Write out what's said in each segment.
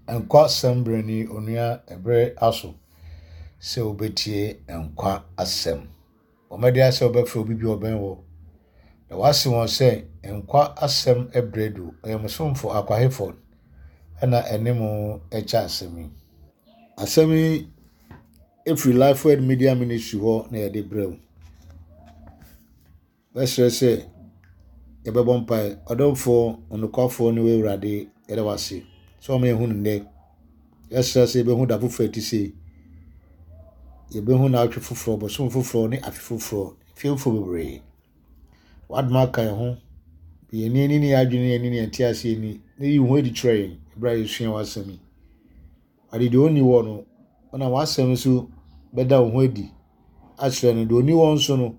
Nkwa asɛm berɛ ni onua ɛberɛ aso sɛ wobɛtie nkwa asɛm. Bɔ mmɔden ara sɛ wobɛfrɛ obi bi a ɔbɛn wo na woase wɔn sɛ nkwa asɛm berɛ du. Ɔyɛ mo somfo Akwa Hayford ɛna ɛne mo ɛkyɛ asɛm yi. Asɛm yi ɛfiri Lifeword Media Ministry hɔ na yɛde brɛ wo. Mɛsrɛ sɛ yɛbɛbɔ mpae. Ɔdomfoɔ, ɔnokwafoɔ ne w'Awurade, yɛda wo ase sɛ wama yɛahu no nnɛ. Yɛsrɛ sɛ yɛbɛhu da foforɔ a ɛte sei. Yɛbɛhu naawɔtwe foforɔ, bosome foforɔ ne afe foforɔ, mfeɛ foforɔ bebree. W'adom aka yɛn ho. Yɛn ani ne yɛn adwene ne yɛn ani ne yɛn nteaseɛ ni. Na yi wo ho adi kyerɛ yɛn berɛ a yɛsua w'asɛm yi. Ade deɛ ɔnni hɔ no, wonam w'asɛm so bɛda wo ho adi akyerɛ no. Deɛ ɔnni hɔ nso no,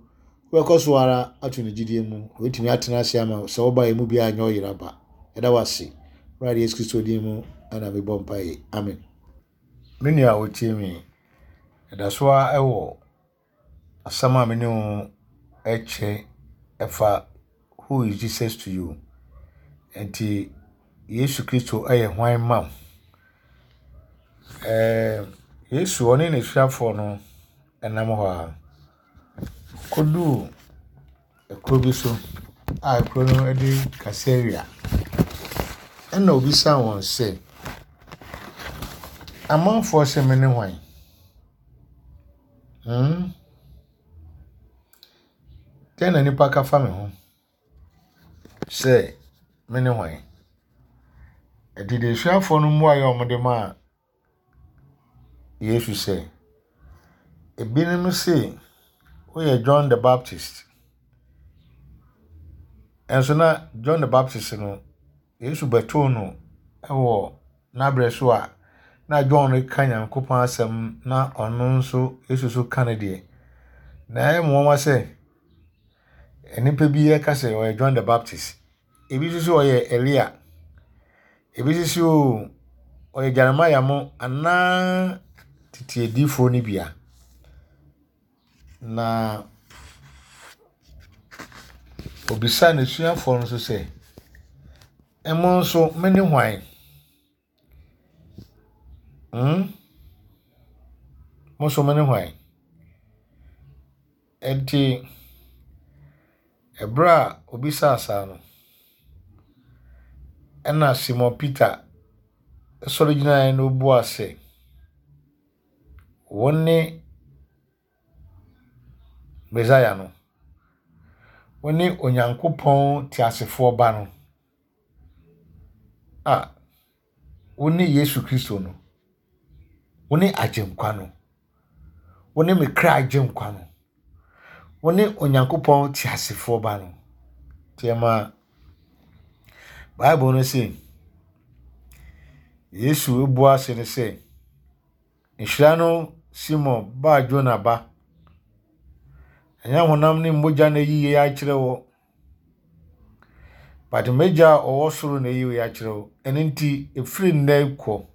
wobɛkɔ so ara ato ne gyidie mu. Na watumi atena ase ama sɛ woba yɛn mu biara nyɛ ɔyera ba. Yɛda wo ase. Awurade Yesu Kristo din mu na mebɔ mpaeɛ. Amen. Me nua a wotie me, ɛda so ara wɔ asɛm a me ne wo rekyɛ ɛfa Who is Jesus to you? Nti Yesu Kristo yɛ hwan ma wo? Ɛɛ Yesu ɔne n'asuafoɔ no nam hɔ a, ɔkɔduu kuro bi so a kuro no de Kaesarea. Ɛnna ɔbisaa wɔn sɛ, Amanfoɔ se mene hwan? Hmm? Dɛn na nnipa ka fa me ho sɛ me ne hwan? Ɛnti asuafoɔ no mmuaeɛ a wɔde maa Yesu sɛ, ebinom se woyɛ John the Baptist. Ɛnso na John the Baptist no, Yesu bɛtoo no wɔ n'abrɛ so a na John reka Nyankopɔn asɛm na ɔno nso Yesu nso ka ne deɛ. Na ɛyɛ me nwanwa sɛ nnipa bi reka sɛ ɔyɛ John the Baptist. Ebi nso sɛ ɔyɛ Elia. Ebi nso sɛ oo ɔyɛ Jeremiah mo anaa tete adiyifoɔ no bi a. Na ɔbisaa n'asuafoɔ no nso sɛ, Mo nso, mene hwan? Hmm? Mo nso mene hwan? Enti, ɛberɛ a ɔbisaa saa no, ɛnna Simon Peter sɔre gyinaeɛ na ɔbuaa sɛ, Wone Mesaia no. Wone Onyankopɔn teasefoɔ Ba no. A wone Yesu Kristo no. Wone Agyenkwa no. Wone me kra Agyenkwa no. Wone Onyankopɔn teasefoɔ Ba no. Nti ɛma Bible no se, Yesu bua se no sɛ, Nhyira no Simon ba Jona ba. Ɛnyɛ honam ne mogya na ayi yei akyerɛ wo, but m'agya a ɔwɔ soro na ayi wei akyerɛ wo. Ɛno nti, ɛfiri nnɛ kɔ,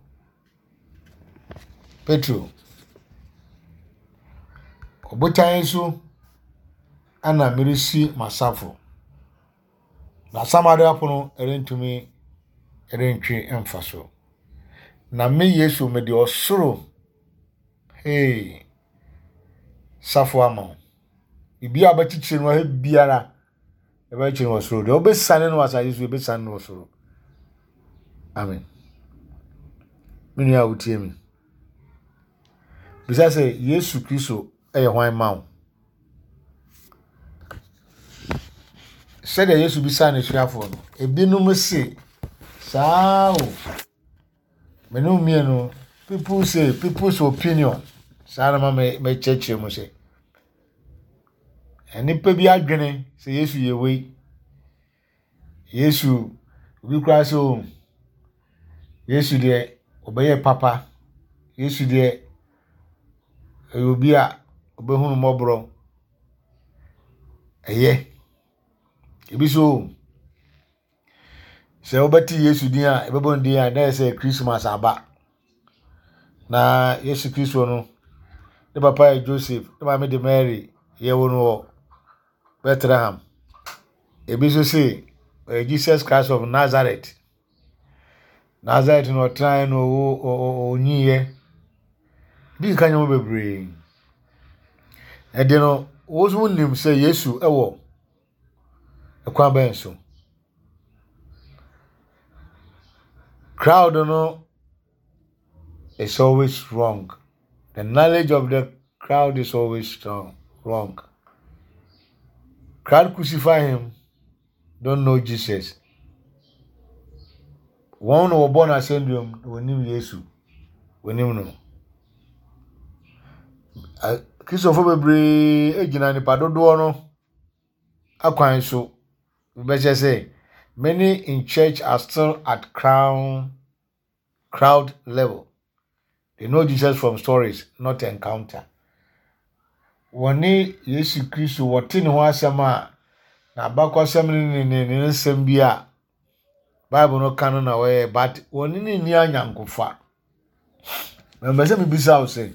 Petro, ɔbotan yi so ana meresi m'asafo. Na asamado apono rentumi rentwe mfa so. Na me Yesu mede ɔsoro hey safo ama wo. Biribi a wobɛkyekyere no ha biara, ɛbɛkyekyere no wɔ soro. Deɛ wobɛsane no wɔ asase so, ɛbɛsane no wɔ soro. Amen. Me nua a wotie me. Bisa sɛ Yesu Kristo yɛ hwan ma wo? Sɛdeɛ Yesu bisaa n'asuafoɔ no, ebinom se, saa o, me ne wo mmienu, people say, people's opinion. Saa na ma mɛkyerɛkyerɛ mu sɛ, nnipa bi adwene sɛ Yesu yɛ wei. Yesu, obi koraa sɛ o, Yesu deɛ ɔbɛyɛ papa. Yesu deɛ ɔyɛ obi a ɔbɛhunu mmɔborɔ. Ɛyɛ. Ebi nso o, sɛ wobɛte Yesu din a, yɛbɛbɔ ne din a, na ayɛ sɛ Christmas aba. Na Yesu Kristo no, ne papa yɛ Joseph, ne maame de Mary, yɛwoo no wɔ Bethlehem. Ebi nso se ɔyɛ Jesus Christ of Nazareth. Nasaret na ɔtenaeɛ na ɔwo ɔnyiiɛ. Bi nka nneɛma bebree. Ɛde no, wo nso wonim sɛ Yesu wɔ ɛkwan bɛn so. Crowd no is always wrong. The knowledge of the crowd is always strong, wrong. Crowd crucify him, don't know Jesus. Wɔn na wɔbɔ no asɛnduam na wɔnim Yesu. Wɔnim no. Kristofo bebree gyina nipa dodoɔ no akwan so. Bɛkyɛ sɛ many in church are still at crown crowd level. They know Jesus from stories, not encounter. Wɔne Yesu Kristo wɔte ne ho asɛm a n'abakɔsɛm ne ne ne nsɛm bi a Bible no ka no na wɔyɛ but wɔne ne nni anyankofa. Mepɛ sɛ mebisa wo sɛ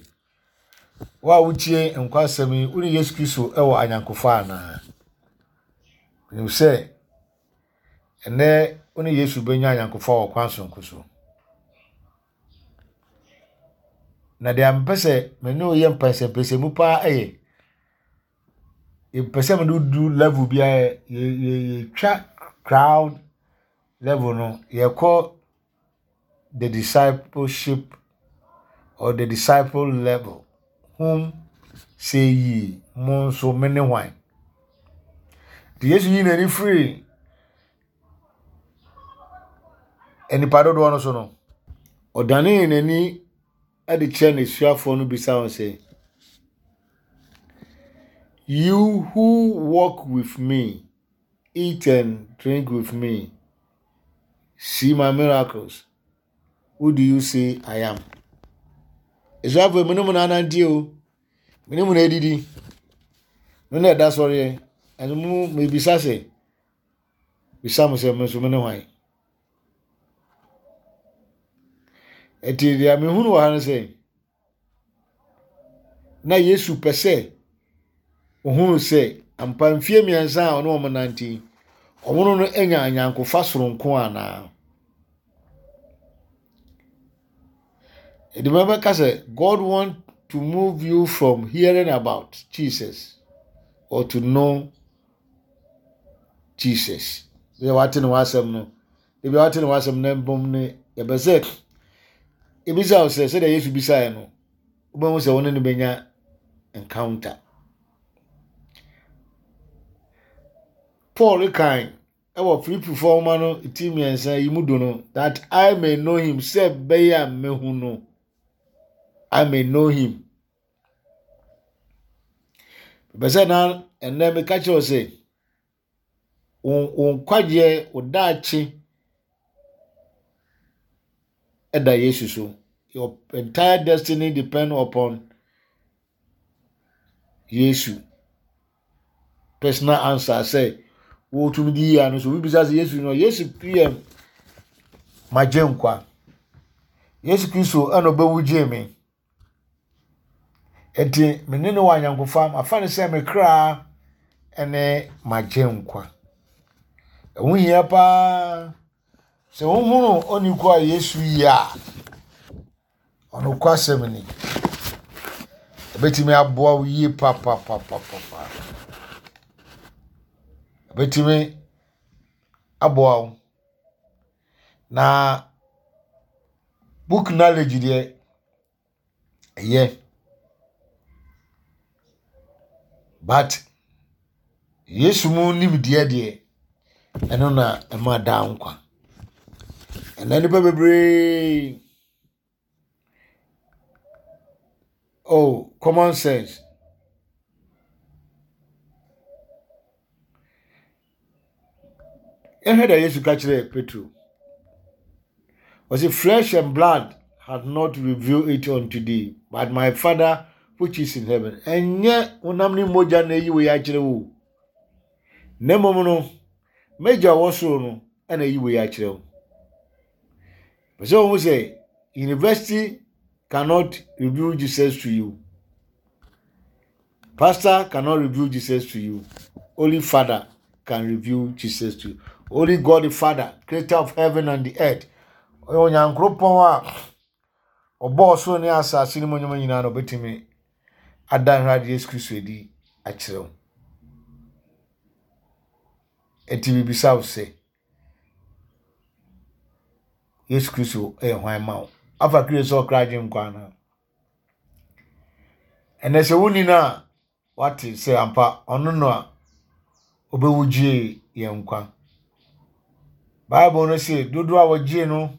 wo a wotie nkwa asɛm yi wo ne Yesu Kristo wɔ anyankofa anaa? Menim sɛ Ɛnnɛ, wo ne Yesu bɛnya ayɔnkofa wɔ kwan soronko so. Na deɛ mepɛ sɛ me ne wo yɛ mpɛnsɛmpɛnsɛmu paa yɛ, mepɛ sɛ mede wo du level bi a yɛtwa crowd level no, yɛkɔ the discipleship or the disciple level. Whom say ye? Mo nso me ne hwan? Nti Yesu yii n'ani firii nnipa dodoɔ no so no, ɔdanee n'ani de kyerɛɛ n'asuafoɔ no bisa wɔn sɛ, You who walk with me, eat and drink with me, see my miracles, who do you say I am? Asuafoɔ mu ne mu na anante o, me ne mu na edidi, me na ɛda sɔreɛ, ɛno mu mebisa sɛ, bisa mo sɛ me nso me ne hwan? Ɛti deɛ mehunu wɔ ha no sɛ, Na Yesu pɛ sɛ ohunu sɛ ampa mfeɛ mmiɛnsa a ɔne wɔn nante yi, wɔn ne no anya anyankofa soronko anaa. Ɛde bɛka sɛ God want to move you from hearing about Jesus or to know Jesus. Deɛ wate ne ho asɛm no, ebi a wate ne ho asɛm na mbom ne yɛbɛ sɛ ebisa wo sɛ sɛdeɛ Yesu bisaeɛ no, wobɛhu sɛ wo ne no bɛnya encounter. Paul kan ɛwɔ Filipifoɔ nwoma no ti mmiɛnsa yi mu du no that I may know him sɛ bɛyɛ a mehu no I may know him. Bɛ sɛ na ɛnnɛ meka kyerɛ wo sɛ wo wo nkwagyeɛ, wo daakye da Yesu so. Your entire destiny depend upon Yesu. Personal answer sɛ wotumi di yie ano so obi bisa sɛ Yesu no Yesu yɛ magye nkwa. Yesu Kristo ɛna ɔbɛwu gyee me. Enti me ne no wɔ ayɔnkofa, mafa no sɛ me kra ne m'agyenkwa. Ɛho hia paa sɛ wohunu oniiko a Yesu yɛ a, ɔnokwasɛm ni, ɛbɛtumi aboa wo yie papapapapa. Ɛbɛtumi aboa wo. Na book knowledge deɛ ɛyɛ but Yesu mu nimdeɛ deɛ ɛno na ɛma daa nkwa. Ɛnɛ nnipa bebree Oh, common sense. Yɛhwɛ dɛ Yesu ka kyerɛɛ Petro. Ɔse, flesh and blood had not revealed it unto thee, but my father which is in heaven. Ɛnyɛ honam ne mogya na eyi wei akyerɛ wo. Na mmom no, m'agya ɔwɔ soro no na eyi wei akyerɛ wo. Pɛ sɛ wɔn sɛ university cannot reveal Jesus to you. Pastor cannot reveal Jesus to you. Only Father can reveal Jesus to you. Only God the Father, creator of heaven and the earth. Ɔyɛ Onyankoropɔn a ɔbɔɔ ɔsoro ne asase no mu nneɛma nyinaa na ɔbɛtumi ada Awurade Yesu Kristo adi akyerɛ wo. Enti mebisa wo sɛ, Yesu Kristo yɛ hwan ma wo? Afa Kristo sɛ ɔkra agye nkwa anaa? Ɛnɛ sɛ wonni no a, wate sɛ ampa ɔno na ɔbɛwu gyee yɛn nkwa. Bible no se dodoɔ a wɔgyee no,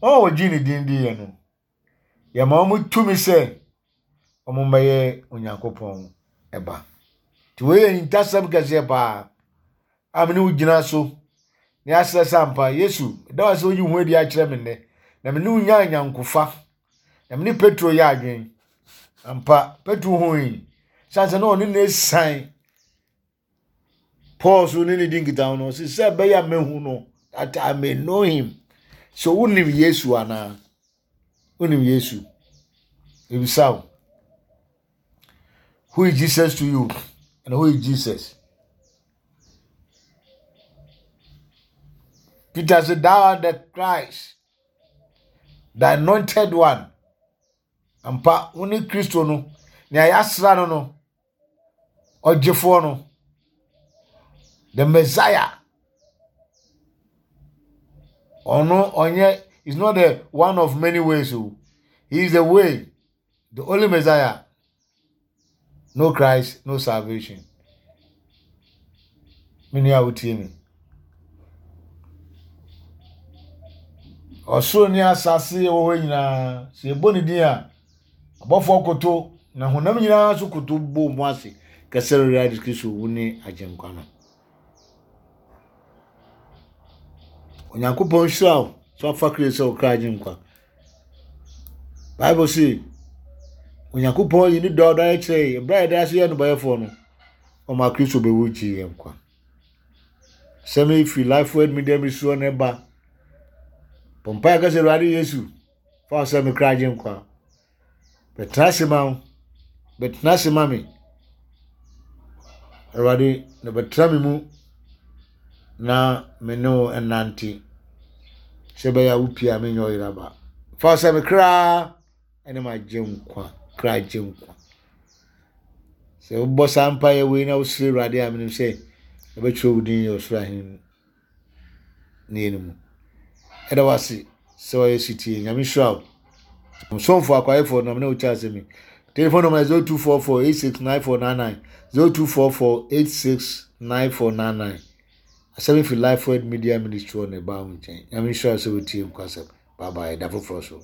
wɔn a wɔgyee ne din diiɛ no, yɛma wɔn tumi sɛ wɔmmɛyɛ Onyankopɔn ba. Nti wei yɛ ahintasɛm kɛseɛ paa a me ne wo gyina so na yɛasrɛ sɛ ampa Yesu, da wo sɛ woyi wo ho adi akyerɛ me nnɛ, na me ne wo nya anyankofa, na me ne Petro yɛ adwene. Ampa, Petro hui, sane sɛ na ɔne no asiane Paul so ne ne di nkitaho no, ɔse sɛ ɛbɛyɛ a mɛhu no, that I may know him. So wonim Yesu anaa? Wonim Yesu? Ebisa wo. Who is Jesus to you? And who is Jesus? Peter said, Thou art the Christ, the anointed one. Ampa, wo ne Kristo no, nea yɛasra no no, ɔgyefoɔ no, the Messiah. Ɔno ɔnyɛ is not the one of many ways o. He is the way, the only Messiah. No Christ, no salvation. Me nua a wotie me. Ɔsoro ne asase wɔ hɔ nyinaa, sɛ yɛbɔ ne din a, abɔfoɔ koto na honam nyinaa nso koto bɔ mu ase kɛsɛ Awurade Kristo wo ne Agyenkwa no. Onyankopɔn nhyira wo sɛ wafa Kristo sɛ wo kra Agyenkwa. Bible se Onyankopɔn yi ne dɔ a ɔdɔ ayɛ kyerɛ yɛn berɛ a yɛda ase yɛ nnebɔyɛfoɔ no, ɔma Kristo bɛwu gyee yɛn nkwa. Sɛm yi firi Life Word Media Ministry hɔ na ɛba. Bɔ mpaeɛ ka sɛ Awurade Yesu, fa wo sɛ me kra agye nkwa. Bɛtena ase ma wo. Bɛtena ase ma me. Awurade, na bɛtena me mu na me ne wo nnante sɛ ɛbɛyɛ a wopie a menyɛ ɔyera ba. Fa wo sɛ me kra ne m'agye nkwa, kra gye nkwa. Sɛ wobɔ saa mpaeɛ wei na wosrɛ Awurade a menim sɛ ɛbɛtwerɛ wo din yɛ ɔsoro ahenni no mu. Ɛda wase sɛ wayɛ sitie. Nyame nhyira wo. Nsomfo akwaefoɔ nam ne wo kyɛ asɛm yi. Telephone number 0244 869499 0244 869499. Asɛm yi fi Life Word Media Ministry hɔ na ɛbaa wo nkyɛn. Nyame nhyira wo sɛ wotie nkwasɛm. Bye bye. Da foforɔ so.